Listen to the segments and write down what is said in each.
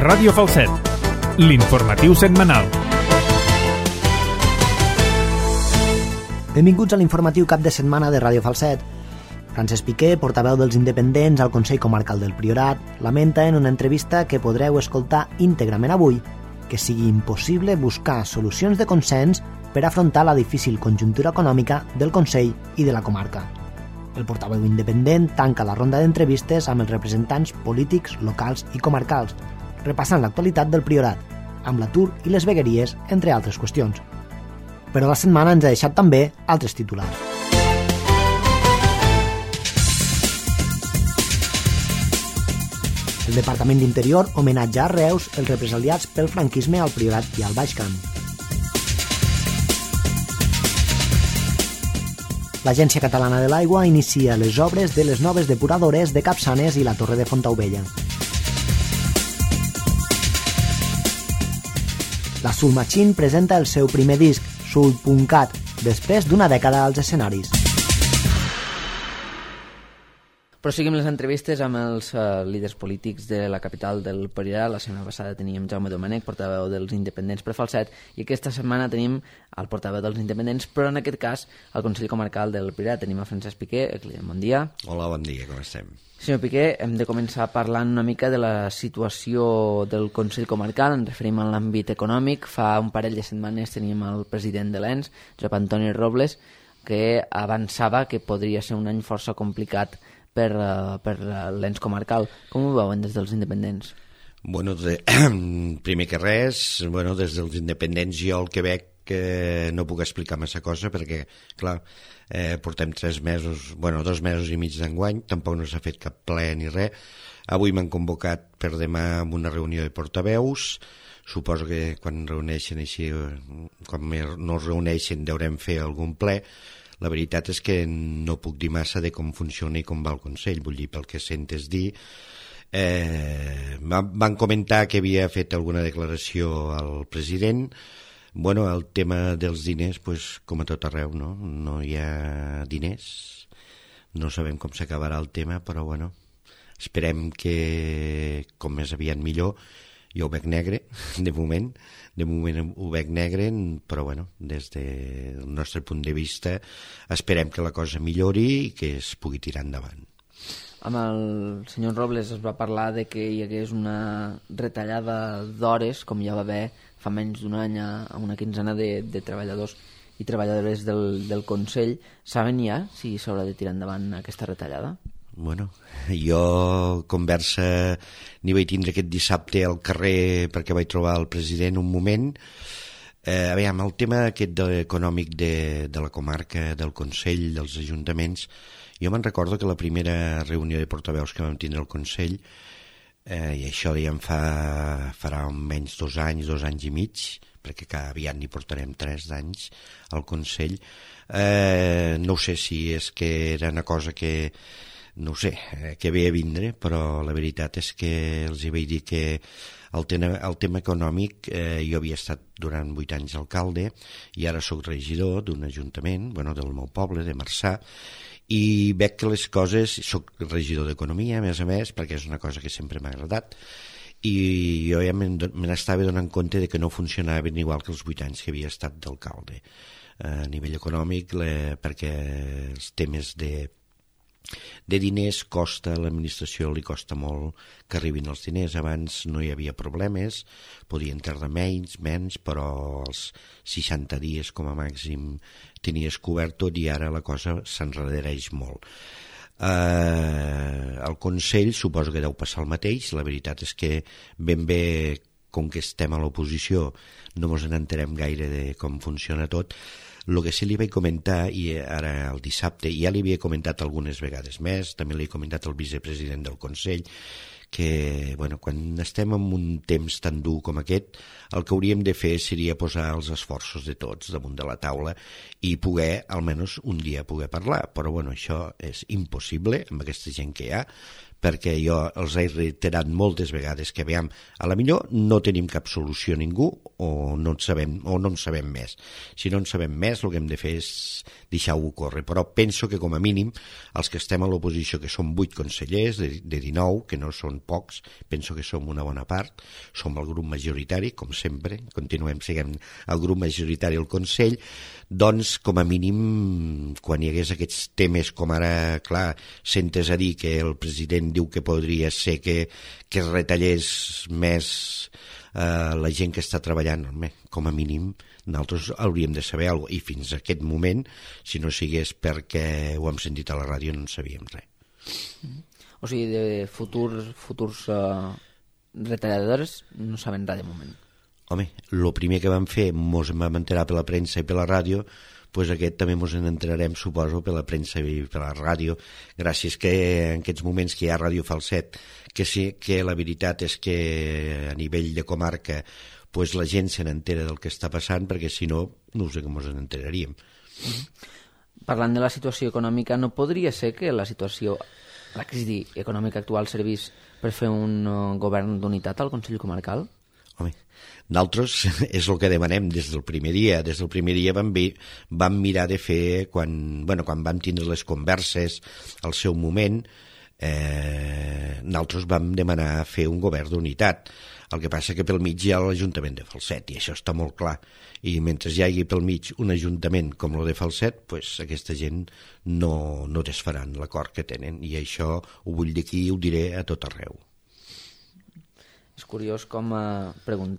Ràdio Falset, l'informatiu setmanal. Benvinguts a l'informatiu cap de setmana de Ràdio Falset. Francesc Piqué, portaveu dels independents al Consell Comarcal del Priorat, lamenta en una entrevista que podreu escoltar íntegrament avui que sigui impossible buscar solucions de consens per afrontar la difícil conjuntura econòmica del Consell i de la comarca. El portaveu independent tanca la ronda d'entrevistes amb els representants polítics, locals i comarcals, repassant l'actualitat del Priorat, amb l'atur i les vegueries, entre altres qüestions. Però la setmana ens ha deixat també altres titulars. El Departament d'Interior homenatja a Reus els represaliats pel franquisme al Priorat i al Baix Camp. L'Agència Catalana de l'Aigua inicia les obres de les noves depuradores de Capçanes i la Torre de Fontaubella. La Soul Machine presenta el seu primer disc, Soul.cat, després d'una dècada als escenaris. Proseguim les entrevistes amb els líders polítics de la capital del Priorat. La setmana passada teníem Jaume Domènech, portaveu dels independents per Falset, i aquesta setmana tenim el portaveu dels independents, però en aquest cas al Consell Comarcal del Priorat. Tenim a Francesc Piqué, que li diem bon dia. Hola, bon dia, com estem? Senyor Piqué, hem de començar parlant una mica de la situació del Consell Comarcal. Ens referim a l'àmbit econòmic. Fa un parell de setmanes teníem el president de l'ENS, Josep Antoni Robles, que avançava que podria ser un any força complicat per l'ens comarcal. Com ho veuen des dels independents? Bueno, primer que res, des dels independents jo el que veig que no puc explicar massa cosa perquè, clar, portem 2 mesos i mig d'enguany, tampoc no s'ha fet cap ple ni res. Avui m'han convocat per demà amb una reunió de portaveus. Suposo que quan reuneixen així, quan no es reuneixen deurem fer algun ple. La veritat és que no puc dir massa de com funciona i com va el Consell, vull dir, pel que sentes dir. Van comentar que havia fet alguna declaració al president. El tema dels diners, com a tot arreu, no hi ha diners. No sabem com s'acabarà el tema, però esperem que com més aviat millor. Jo ho veig negre, de moment ho veig negre, però des del nostre punt de vista esperem que la cosa millori i que es pugui tirar endavant. Amb el senyor Robles es va parlar de que hi hagués una retallada d'hores, com ja va haver fa menys d'un any a una quinzena de treballadors i treballadores del Consell. Saben ja si s'haurà de tirar endavant aquesta retallada? Jo conversa n'hi vaig tindre aquest dissabte al carrer perquè vaig trobar el president un moment. El tema aquest econòmic de la comarca, del Consell, dels ajuntaments, jo me'n recordo que la primera reunió de portaveus que vam tindre al Consell, i això ja em farà menys 2 anys i mig, perquè aviat n'hi portarem 3 d'anys al Consell. No sé si és que era una cosa que que ve a vindre, però la veritat és que els hi vaig dir que el tema econòmic, jo havia estat durant 8 anys alcalde i ara sóc regidor d'un ajuntament, del meu poble, de Marçà, i veig que les coses, sóc regidor d'Economia, a més, perquè és una cosa que sempre m'ha agradat, i jo ja me n'estava donant compte de que no funcionaven igual que els 8 anys que havia estat d'alcalde. A nivell econòmic, perquè els temes de diners costa, a l'administració li costa molt que arribin els diners. Abans no hi havia problemes, podien tardar menys, però als 60 dies com a màxim tenies cobert tot i ara la cosa s'enredereix molt. Al Consell suposo que deu passar el mateix. La veritat és que ben bé, com que estem a l'oposició, no ens n'enterem gaire de com funciona tot. El que sí li vaig comentar, i ara el dissabte, ja li havia comentat algunes vegades més, també li he comentat al vicepresident del Consell, que quan estem en un temps tan dur com aquest, el que hauríem de fer seria posar els esforços de tots damunt de la taula i poder, almenys un dia, poder parlar. Però això és impossible amb aquesta gent que hi ha, perquè jo els he reiterat moltes vegades que a la millor no tenim cap solució a ningú o no en sabem més. Si no en sabem més, el que hem de fer és deixar-ho córrer. Però penso que com a mínim els que estem a l'oposició, que són 8 consellers de 19, que no són són pocs, penso que som una bona part, som el grup majoritari, com sempre, continuem sent el grup majoritari al Consell, doncs, com a mínim, quan hi hagués aquests temes, com ara, clar, sentes a dir que el president diu que podria ser que es retallés més la gent que està treballant, com a mínim, nosaltres hauríem de saber alguna cosa, i fins a aquest moment, si no sigués perquè ho hem sentit a la ràdio, no en sabíem res. O sigui, de futurs retalladores no saben res de moment. Home, el primer que vam fer mos en vam enterar per la premsa i per la ràdio, doncs aquest també mos en enterarem, suposo, per la premsa i per la ràdio, gràcies que en aquests moments que hi ha Ràdio Falset, que sí, que la veritat és que a nivell de comarca pues la gent se n'entera del que està passant, perquè si no, no sé com ens n'enteraríem. Parlant de la situació econòmica, no podria ser que la crisi econòmica actual servís per fer un govern d'unitat al Consell Comarcal? Home, nosaltres és el que demanem des del primer dia. Des del primer dia vam mirar de fer, quan vam tindre les converses al seu moment, nosaltres vam demanar fer un govern d'unitat. El que passa que pel mig hi ha l'Ajuntament de Falset, i això està molt clar. I mentre hi hagi pel mig un ajuntament com el de Falset, pues aquesta gent no desfaran l'acord que tenen. I això ho vull dir aquí i ho diré a tot arreu. És curiós com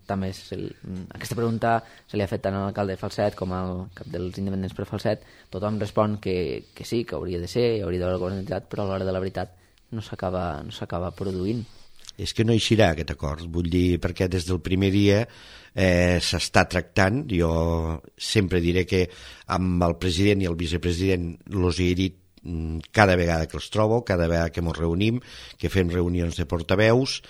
també aquesta pregunta se li ha fet tant a l'alcalde de Falset com al cap dels independents per Falset. Tothom respon que sí, que hauria de ser, hauria d'haver alguna entitat, però a l'hora de la veritat no s'acaba produint. És que no eixirà aquest acord, vull dir, perquè des del primer dia s'està tractant. Jo sempre diré que amb el president i el vicepresident els he dit cada vegada que els trobo, cada vegada que ens reunim, que fem reunions de portaveus,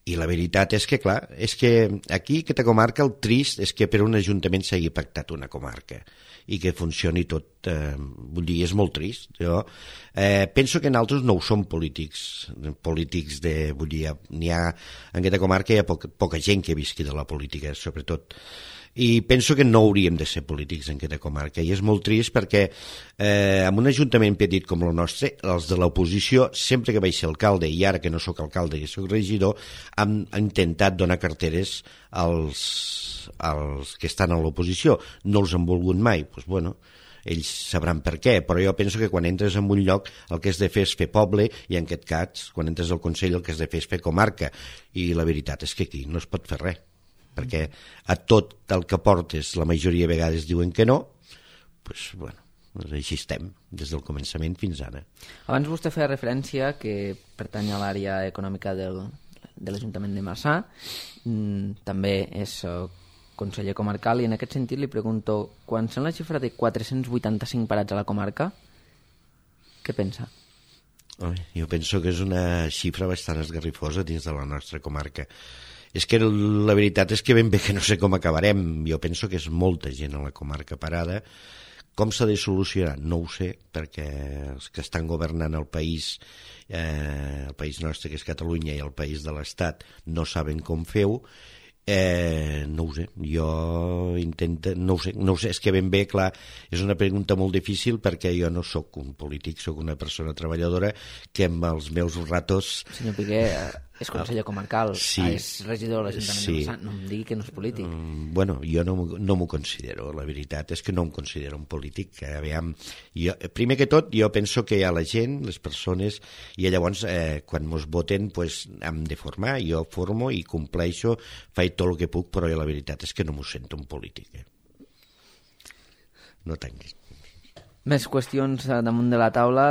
i la veritat és que, clar, és que aquí, aquesta comarca, el trist és que per un ajuntament s'hagi pactat una comarca i que funcioni tot, vull dir, és molt trist. Jo penso que nosaltres no ho som polítics vull dir, n'hi ha, en aquesta comarca hi ha poca gent que visqui de la política, sobretot, i penso que no hauríem de ser polítics en aquesta comarca, i és molt trist perquè en un ajuntament petit com el nostre, els de l'oposició, sempre que vaig ser alcalde, i ara que no sóc alcalde i sóc regidor, han intentat donar carteres als que estan a l'oposició. No els han volgut mai, doncs bueno, ells sabran per què, però jo penso que quan entres en un lloc el que has de fer és fer poble, i en aquest cas, quan entres al Consell, el que has de fer és fer comarca, i la veritat és que aquí no es pot fer res, perquè a tot el que portes la majoria de vegades diuen que no, doncs bueno, així estem des del començament fins ara. Abans vostè feia referència que pertany a l'àrea econòmica de l'Ajuntament de Marçà, també és conseller comarcal, i en aquest sentit li pregunto, quan sent la xifra de 485 parats a la comarca, què pensa? Jo penso que és una xifra bastant esgarrifosa dins de la nostra comarca. És que la veritat és que ben bé que no sé com acabarem. Jo penso que és molta gent a la comarca parada. Com s'ha de solucionar? No ho sé, perquè els que estan governant el país nostre, que és Catalunya, i el país de l'Estat, no saben com fer-ho. No ho sé, jo intento, no ho sé, és que ben bé, clar, és una pregunta molt difícil perquè jo no sóc un polític, sóc una persona treballadora que amb els meus ratos... Senyor Piqué, és conseller comarcal, sí, és regidor de l'Ajuntament de Marçà, no em digui que no és polític. Bueno, jo no m'ho considero, la veritat és que no em considero un polític. Aviam, primer que tot, jo penso que hi ha la gent, les persones, i llavors quan mos voten pues, hem de formar, jo formo i compleixo, faig tot el que puc, però la veritat és que no m'ho sento un polític. No tanquis. Més qüestions damunt de la taula.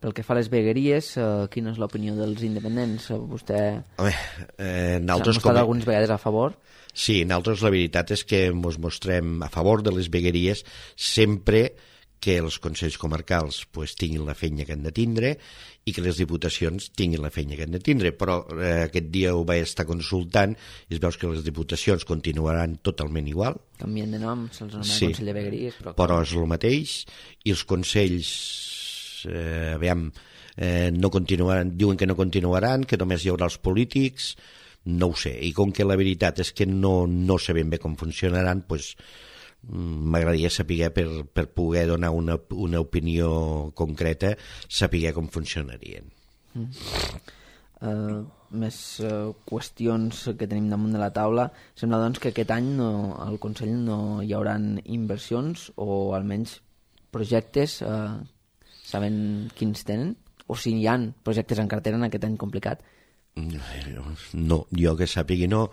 Pel que fa a les vegueries, quina és l'opinió dels independents? Vostè s'ha mostrat algunes vegades a favor? Sí, nosaltres la veritat és que ens mostrem a favor de les vegueries sempre que els consells comarcals pues, tinguin la feina que han de tindre i que les diputacions tinguin la feina que han de tindre, però aquest dia ho vaig estar consultant i es veus que les diputacions continuaran totalment igual. Canvien de nom, se'ls anomena Consell de Vegueries. Però és el mateix, i els consells no continuaran, diuen que no continuaran, que només hi haurà els polítics, no ho sé, i com que la veritat és que no sé ben bé com funcionaran, doncs m'agradaria saber per poder donar una opinió concreta, saber com funcionarien. més qüestions que tenim damunt de la taula. Sembla doncs que aquest any al Consell no hi haurà inversions o almenys projectes, saben quins tenen? O si hi ha projectes en cartera en aquest any complicat? No, jo que sàpigui no.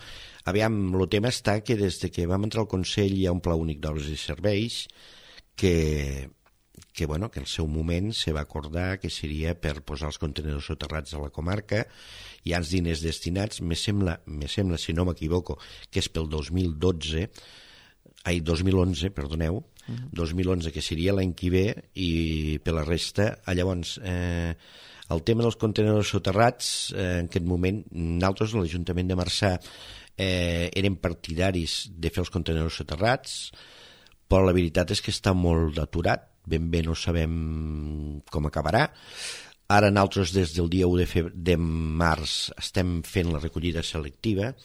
Aviam, el tema està que des de que vam entrar al Consell hi ha un Pla Únic d'Obres i Serveis que el seu moment se va acordar que seria per posar els contenidors soterrats a la comarca. Hi ha els diners destinats, me sembla, si no m'equivoco, que és pel 2011, perdoneu, 2011, que seria l'any que ve, i per la resta, llavors, el tema dels contenidors soterrats, en aquest moment, nosaltres, l'Ajuntament de Marçà, érem partidaris de fer els contenidors soterrats, però la veritat és que està molt aturat, ben bé no sabem com acabarà. Ara nosaltres des del dia 1 de març estem fent la recollida selectiva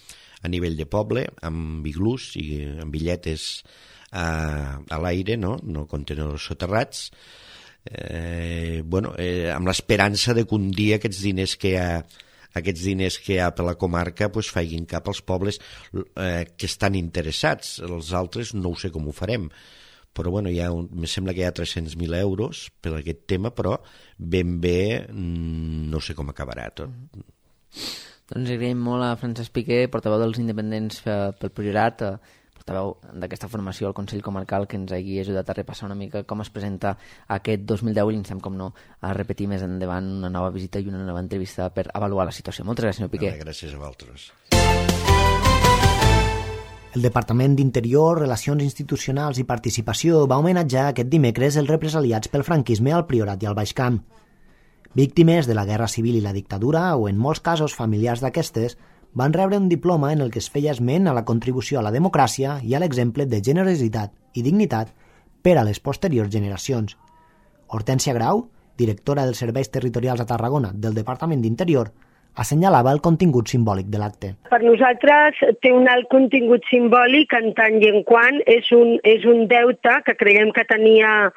a nivell de poble, amb iglús i amb billetes a l'aire, no contenidors soterrats, amb l'esperança de que un dia aquests diners que hi ha per la comarca facin cap als pobles que estan interessats. Els altres no ho sé com ho farem, però me sembla que hi ha 300.000 euros per aquest tema, però ben bé no sé com acabarà tot. Doncs agraïm molt a Francesc Piqué, portaveu dels independents pel Priorat, portaveu d'aquesta formació al Consell Comarcal, que ens hagi ajudat a repassar una mica com es presenta aquest 2010 i instem, com no, a repetir més endavant una nova visita i una nova entrevista per avaluar la situació. Moltes gràcies, senyor Piqué. Gràcies a vosaltres. El Departament d'Interior, Relacions Institucionals i Participació va homenatjar aquest dimecres els represaliats pel franquisme al Priorat i al Baix Camp. Víctimes de la Guerra Civil i la dictadura, o en molts casos familiars d'aquestes, van rebre un diploma en el que es feia esment a la contribució a la democràcia i a l'exemple de generositat i dignitat per a les posteriors generacions. Hortènsia Grau, directora dels Serveis Territorials a Tarragona del Departament d'Interior, assenyalava el contingut simbòlic de l'acte. Per nosaltres té un alt contingut simbòlic en tant i en quant és un deute que creiem que tenia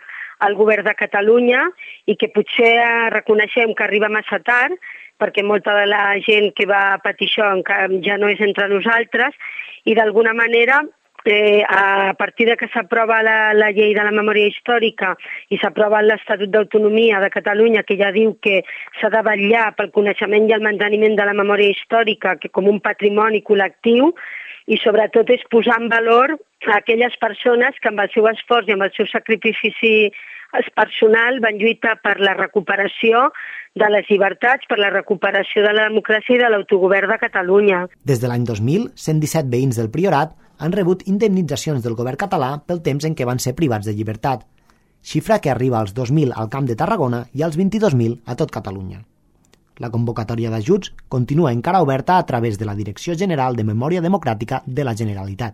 el govern de Catalunya i que potser reconeixem que arriba massa tard, perquè molta de la gent que va patir això ja no és entre nosaltres, i d'alguna manera, a partir de que s'aprova la llei de la memòria històrica i s'aprova l'Estatut d'Autonomia de Catalunya, que ja diu que s'ha de vetllar pel coneixement i el manteniment de la memòria històrica com un patrimoni col·lectiu, i sobretot és posar en valor a aquelles persones que amb el seu esforç i amb el seu sacrifici personal van lluitar per la recuperació de les llibertats, per la recuperació de la democràcia i de l'autogovern de Catalunya. Des de l'any 2000, 117 veïns del Priorat han rebut indemnitzacions del govern català pel temps en què van ser privats de llibertat, xifra que arriba als 2.000 al Camp de Tarragona i als 22.000 a tot Catalunya. La convocatòria d'ajuts continua encara oberta a través de la Direcció General de Memòria Democràtica de la Generalitat.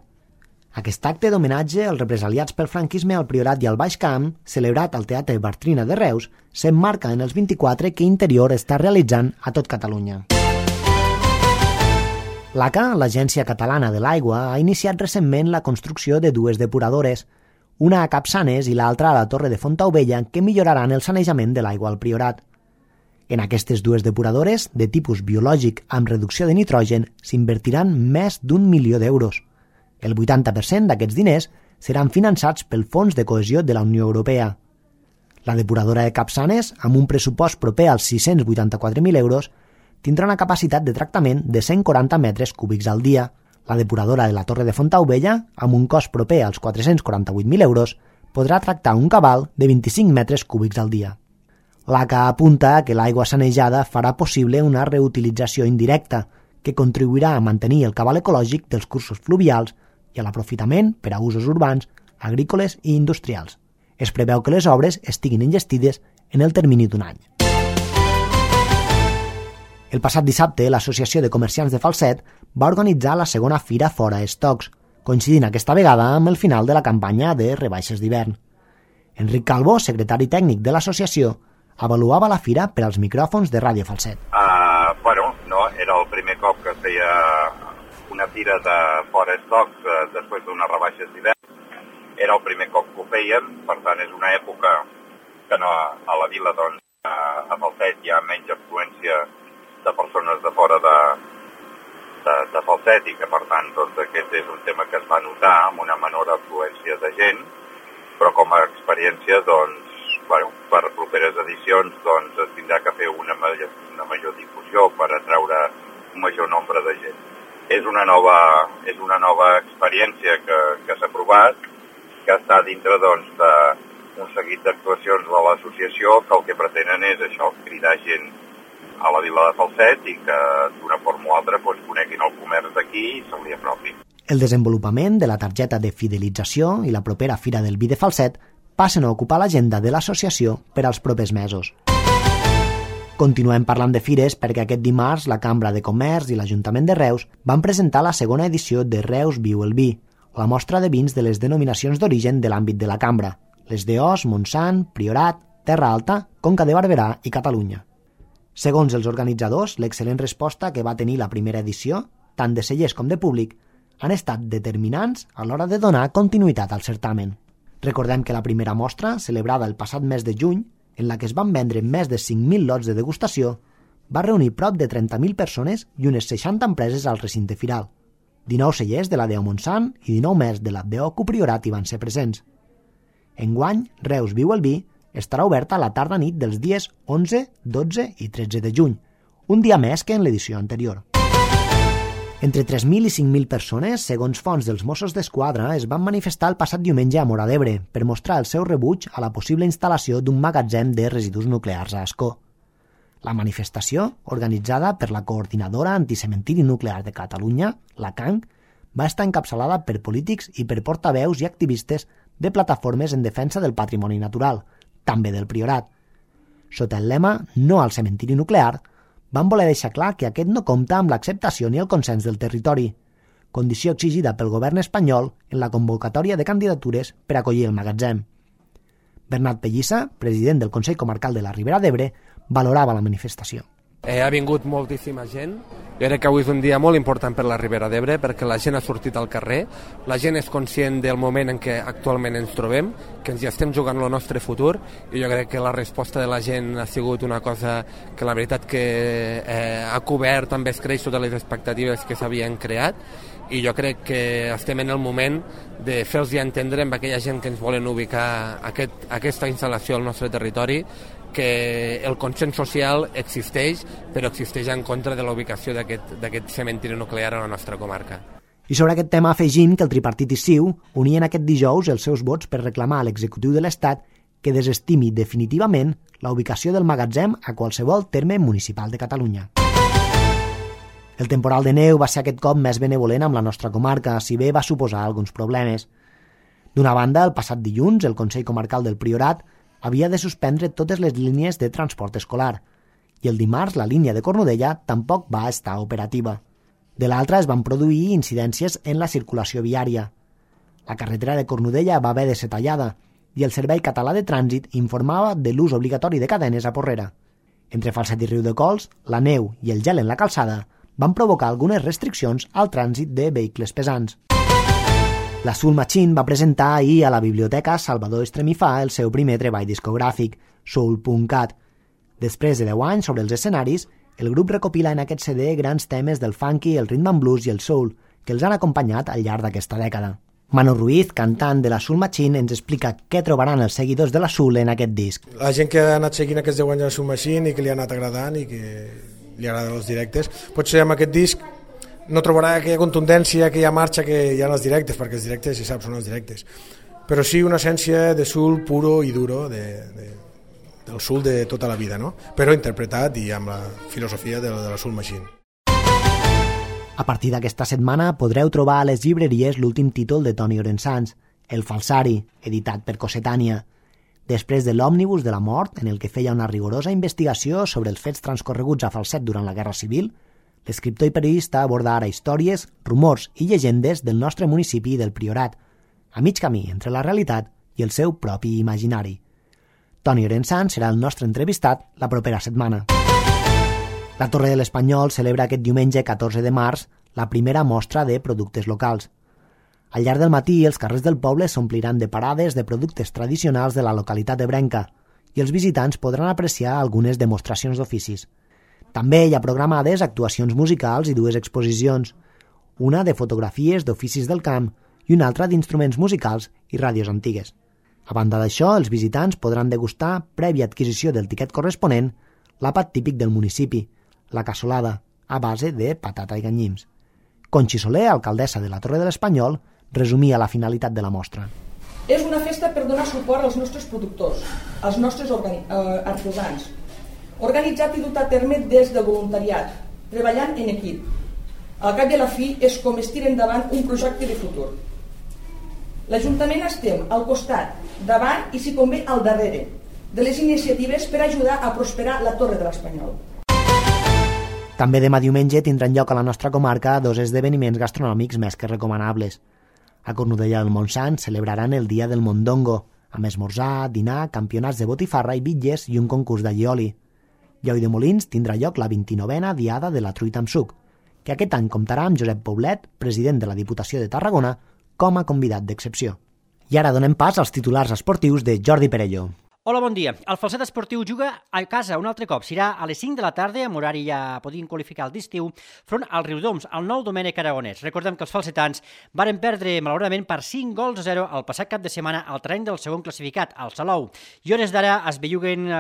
Aquest acte d'homenatge als represaliats pel franquisme al Priorat i al Baix Camp, celebrat al Teatre Bartrina de Reus, s'emmarca en els 24 que Interior està realitzant a tot Catalunya. L'ACA, l'Agència Catalana de l'Aigua, ha iniciat recentment la construcció de dues depuradores, una a Capçanes i l'altra a la Torre de Fontaubella, que milloraran el sanejament de l'aigua al Priorat. En aquestes dues depuradores, de tipus biològic amb reducció de nitrogen, s'invertiran més d'1 milió d'euros. El 80% d'aquests diners seran finançats pel Fons de Cohesió de la Unió Europea. La depuradora de Capçanes, amb un pressupost proper als 684.000 euros, tindrà una capacitat de tractament de 140 metres cúbics al dia. La depuradora de la Torre de Fontaubella, amb un cost proper als 448.000 euros, podrà tractar un cabal de 25 metres cúbics al dia. L'ACA apunta que l'aigua sanejada farà possible una reutilització indirecta, que contribuirà a mantenir el cabal ecològic dels cursos fluvials i a l'aprofitament per a usos urbans, agrícoles i industrials. Es preveu que les obres estiguin enllestides en el termini d'un any. El passat dissabte, l'Associació de Comerciants de Falset va organitzar la segona Fira Fora Estocs, coincidint aquesta vegada amb el final de la campanya de rebaixes d'hivern. Enric Calvo, secretari tècnic de l'associació, avaluava la fira per als micròfons de Ràdio Falset. Era el primer cop que feia una fira de Fora Estocs després d'unes rebaixes d'hivern. Era el primer cop que ho fèiem, per tant és una època que a la vila, a Falset, hi ha menys afluència de persones de fora de Falset i que, per tant, doncs, aquest és un tema que es va notar amb una menor afluència de gent, però com a experiència, doncs, bueno, per properes edicions doncs, es tindrà que fer una major difusió per atraure un major nombre de gent. És una nova experiència que s'ha provat, que està dintre doncs, d'un seguit d'actuacions de l'associació que el que pretenen és això, cridar gent a la vila de Falset i que d'una forma o altra doncs, coneguin el comerç d'aquí i se li apropi. El desenvolupament de la targeta de fidelització i la propera Fira del Vi de Falset passen a ocupar l'agenda de l'associació per als propers mesos. Continuem parlant de fires perquè aquest dimarts la Cambra de Comerç i l'Ajuntament de Reus van presentar la segona edició de Reus Viu el Vi, la mostra de vins de les denominacions d'origen de l'àmbit de la Cambra, les d'Os, Montsant, Priorat, Terra Alta, Conca de Barberà i Catalunya. Segons els organitzadors, l'excel·lent resposta que va tenir la primera edició, tant de cellers com de públic, han estat determinants a l'hora de donar continuïtat al certamen. Recordem que la primera mostra, celebrada el passat mes de juny, en la que es van vendre més de 5.000 lots de degustació, va reunir prop de 30.000 persones i unes 60 empreses al recinte firal. 19 cellers de la DO Montsant i 19 més de la DO Priorat hi van ser presents. Enguany, Reus Viu el Vi estarà oberta a la tarda-nit dels dies 11, 12 i 13 de juny, un dia més que en l'edició anterior. Entre 3.000 i 5.000 persones, segons fonts dels Mossos d'Esquadra, es van manifestar el passat diumenge a Móra d'Ebre per mostrar el seu rebuig a la possible instal·lació d'un magatzem de residus nuclears a Ascó. La manifestació, organitzada per la Coordinadora Anticementiri Nuclear de Catalunya, la CANC, va estar encapçalada per polítics i per portaveus i activistes de plataformes en defensa del patrimoni natural, també del Priorat. Sota el lema «No al cementiri nuclear», van voler deixar clar que aquest no compta amb l'acceptació ni el consens del territori, condició exigida pel govern espanyol en la convocatòria de candidatures per acollir el magatzem. Bernat Pellissa, president del Consell Comarcal de la Ribera d'Ebre, valorava la manifestació. Ha vingut moltíssima gent. Jo crec que avui és un dia molt important per la Ribera d'Ebre perquè la gent ha sortit al carrer, la gent és conscient del moment en què actualment ens trobem, que ens hi estem jugant el nostre futur i jo crec que la resposta de la gent ha sigut una cosa que la veritat que ha cobert amb escreix totes les expectatives que s'havien creat i jo crec que estem en el moment de fer-los entendre amb aquella gent que ens volen ubicar aquesta instal·lació al nostre territori que el consens social existeix, però existeix en contra de la ubicació d'aquest cementiri nuclear a la nostra comarca. I sobre aquest tema afegim que el tripartit i CiU unien aquest dijous els seus vots per reclamar a l'executiu de l'Estat que desestimi definitivament la ubicació del magatzem a qualsevol terme municipal de Catalunya. El temporal de neu va ser aquest cop més benevolent amb la nostra comarca, si bé va suposar alguns problemes. D'una banda, el passat dilluns, el Consell Comarcal del Priorat havia de suspendre totes les línies de transport escolar i el dimarts la línia de Cornudella tampoc va estar operativa. De l'altra es van produir incidències en la circulació viària. La carretera de Cornudella va haver de ser tallada i el Servei Català de Trànsit informava de l'ús obligatori de cadenes a Porrera. Entre Falset i Riudecols, la neu i el gel en la calçada van provocar algunes restriccions al trànsit de vehicles pesants. La Soul Machine va presentar ahir a la Biblioteca Salvador Estremifà el seu primer treball discogràfic, Soul.cat. Després de 10 anys sobre els escenaris, el grup recopila en aquest CD grans temes del funky, el rhythm and blues i el soul, que els han acompanyat al llarg d'aquesta dècada. Manu Ruiz, cantant de la Soul Machine, ens explica què trobaran els seguidors de la Soul en aquest disc. La gent que ha anat seguint aquests 10 anys de la Soul Machine i que li ha anat agradant i que li agraden els directes, potser amb aquest disc no trobarà aquella contundència, aquella marxa que hi ha en els directes, perquè els directes, si saps, són els directes. Però sí una essència de soul puro i duro, del soul de tota la vida, no? Però interpretat i amb la filosofia de la Soul Machine. A partir d'aquesta setmana podreu trobar a les llibreries l'últim títol de Toni Orensanz, El falsari, editat per Cossetània. Després de l'Òmnibus de la mort, en el que feia una rigorosa investigació sobre els fets transcorreguts a Falset durant la Guerra Civil, l'escriptor i periodista aborda ara històries, rumors i llegendes del nostre municipi i del Priorat, a mig camí entre la realitat i el seu propi imaginari. Toni Orensanz serà el nostre entrevistat la propera setmana. La Torre de l'Espanyol celebra aquest diumenge 14 de març la primera mostra de productes locals. Al llarg del matí, els carrers del poble s'ompliran de parades de productes tradicionals de la localitat ebrenca i els visitants podran apreciar algunes demostracions d'oficis. També hi ha programades actuacions musicals i 2 exposicions, una de fotografies d'oficis del camp i una altra d'instruments musicals i ràdios antigues. A banda d'això, els visitants podran degustar, prèvia adquisició del tiquet corresponent, l'àpat típic del municipi, la cassolada, a base de patata i ganyims. Conxi Soler, alcaldessa de la Torre de l'Espanyol, resumia la finalitat de la mostra. És una festa per donar suport als nostres productors, als nostres artesans, organitzat i dut a terme des del voluntariat, treballant en equip. Al cap i a la fi és com es tira endavant un projecte de futur. L'Ajuntament estem al costat, davant i, si convé, al darrere de les iniciatives per ajudar a prosperar la Torre de l'Espanyol. També demà diumenge tindran lloc a la nostra comarca 2 esdeveniments gastronòmics més que recomanables. A Cornudella del Montsant celebraran el Dia del Mondongo, amb esmorzar, dinar, campionats de botifarra i bitlles i un concurs d'allioli. I a Ulldemolins tindrà lloc la 29a Diada de la Truita amb suc, que aquest any comptarà amb Josep Poblet, president de la Diputació de Tarragona, com a convidat d'excepció. I ara donem pas als titulars esportius de Jordi Perello. Hola, bon dia. El Falset Esportiu juga a casa un altre cop. Serà a les 5 de la tarda, amb horari ja podien qualificar el d'estiu, front al Riudoms, al nou Domènec Aragonès. Recordem que els falsetans varen perdre, malauradament, per 5-0 el passat cap de setmana al terreny del segon classificat, al Salou. I hores d'ara es belluguen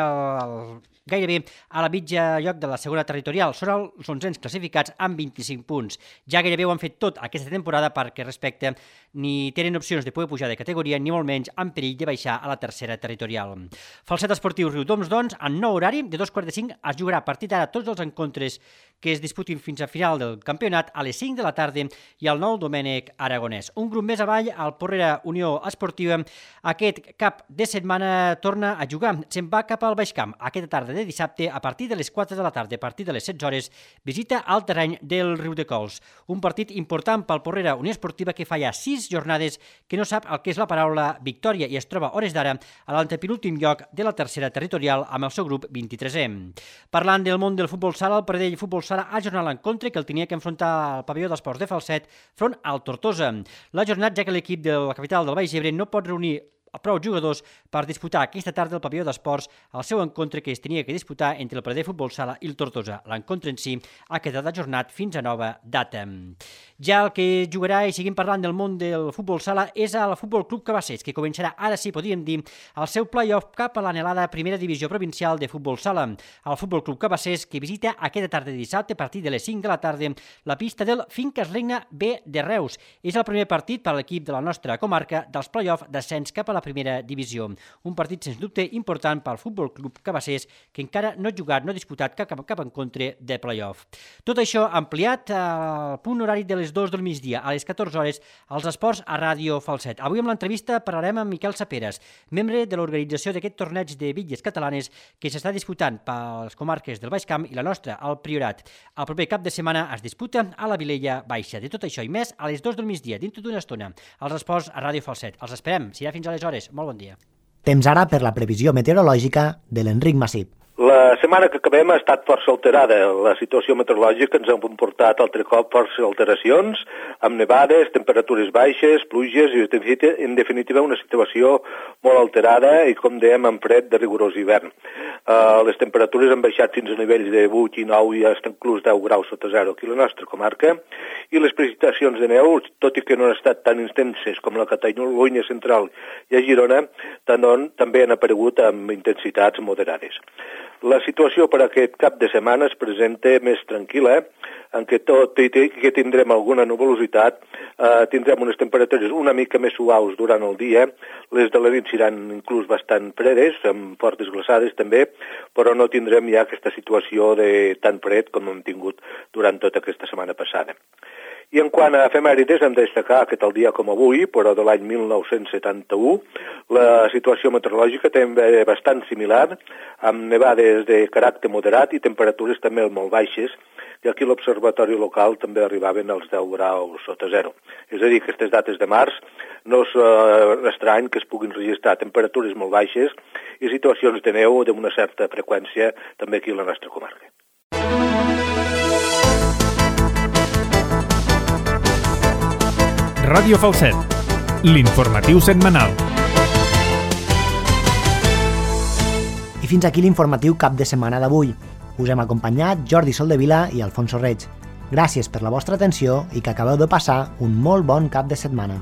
gairebé a la mitja lloc de la segona territorial. Són els 11 classificats amb 25 punts. Ja gairebé ho han fet tot aquesta temporada perquè respecte ni tenen opcions de poder pujar de categoria ni molt menys en perill de baixar a la tercera territorial. Falset Esportiu Riudoms, doncs, en nou horari de 2:45 es jugarà a partir d'ara tots els encontres que es disputin fins a final del campionat a les 5 de la tarda i al nou Domènec Aragonès. Un grup més avall, el Porrera Unió Esportiva, aquest cap de setmana torna a jugar. Se'n va cap al Baixcamp. Aquesta tarda de dissabte, a partir de les 4 de la tarda, a partir de les 16 hores, visita al terreny del Riudecols. Un partit important pel Porrera Unió Esportiva que fa ja 6 jornades que no sap el que és la paraula victòria i es troba a hores d'ara a l'antepenúltim lloc de la tercera territorial amb el seu grup 23è. Parlant del món del futbol sala, el Pradell Futbol Sala ha ajornat l'encontre que el tenia que enfrontar al pavelló d'esports de Falset front al Tortosa. L'ha ajornat ja que l'equip de la capital del Baix Ebre no pot reunir prou jugadors per disputar aquesta tarda al pavelló d'esports el seu encontre que es tenia que disputar entre el Pradell Futbol Sala i el Tortosa. L'encontre en si ha quedat ajornat fins a nova data. Ja el que jugarà, i seguim parlant del món del futbol sala, és el Futbol Club Cabassers, que començarà, ara sí podríem dir, el seu play-off cap a l'anhelada primera divisió provincial de futbol sala. El Futbol Club Cabassers, que visita aquesta tarda de dissabte a partir de les 5 de la tarda la pista del Finques Regna B de Reus. És el primer partit per a l'equip de la nostra comarca dels play-off d'ascens cap a la primera divisió. Un partit, sens dubte, important pel Futbol Club Cabassers, que encara no ha jugat, no ha disputat cap encontre de play-off. Tot això ampliat al punt horari de les 2 del migdia, a les 14 hores, als esports a Ràdio Falset. Avui amb l'entrevista parlarem amb Miquel Saperas, membre de l'organització d'aquest torneig de bitlles catalanes que s'està disputant per les comarques del Baix Camp i la nostra, el Priorat. El proper cap de setmana es disputa a la Vilella Baixa. De tot això i més, a les 2 del migdia, dintre d'una estona, als esports a Ràdio Falset. Els esperem, serà fins aleshores. Molt bon dia. Temps ara per la previsió meteorològica de l'Enric Massip. La setmana que acabem ha estat força alterada. La situació meteorològica ens ha comportat altre cop força alteracions, amb nevades, temperatures baixes, pluges i, en definitiva, una situació molt alterada i, com dèiem, amb fred de rigorós hivern. Les temperatures han baixat fins a nivells de 8 i 9 i fins inclús 10 graus sota zero aquí a la nostra comarca, i les precipitacions de neu, tot i que no han estat tan intenses com la Catalunya central i a Girona, també han aparegut amb intensitats moderades. La situació per aquest cap de setmana es presenta més tranquil·la, en què tot i que tindrem alguna nuvolositat, tindrem unes temperatures una mica més suaus durant el dia, les de la nit seran inclús bastant fredes, amb fortes glaçades també, però no tindrem ja aquesta situació de tan fred com hem tingut durant tota aquesta setmana passada. I en quant a efemèrides, hem de destacar que tal dia com avui, però de l'any 1971, la situació meteorològica també bastant similar, amb nevades de caràcter moderat i temperatures també molt baixes, i aquí l'observatori local també arribaven als 10 graus sota zero. És a dir, que aquestes dates de març no és estrany que es puguin registrar temperatures molt baixes i situacions de neu d'una certa freqüència també aquí a la nostra comarca. Ràdio Falset, l'informatiu setmanal. I fins aquí l'informatiu cap de setmana d'avui. Us hem acompanyat Jordi Soldevila i Alfonso Reig. Gràcies per la vostra atenció i que acabeu de passar un molt bon cap de setmana.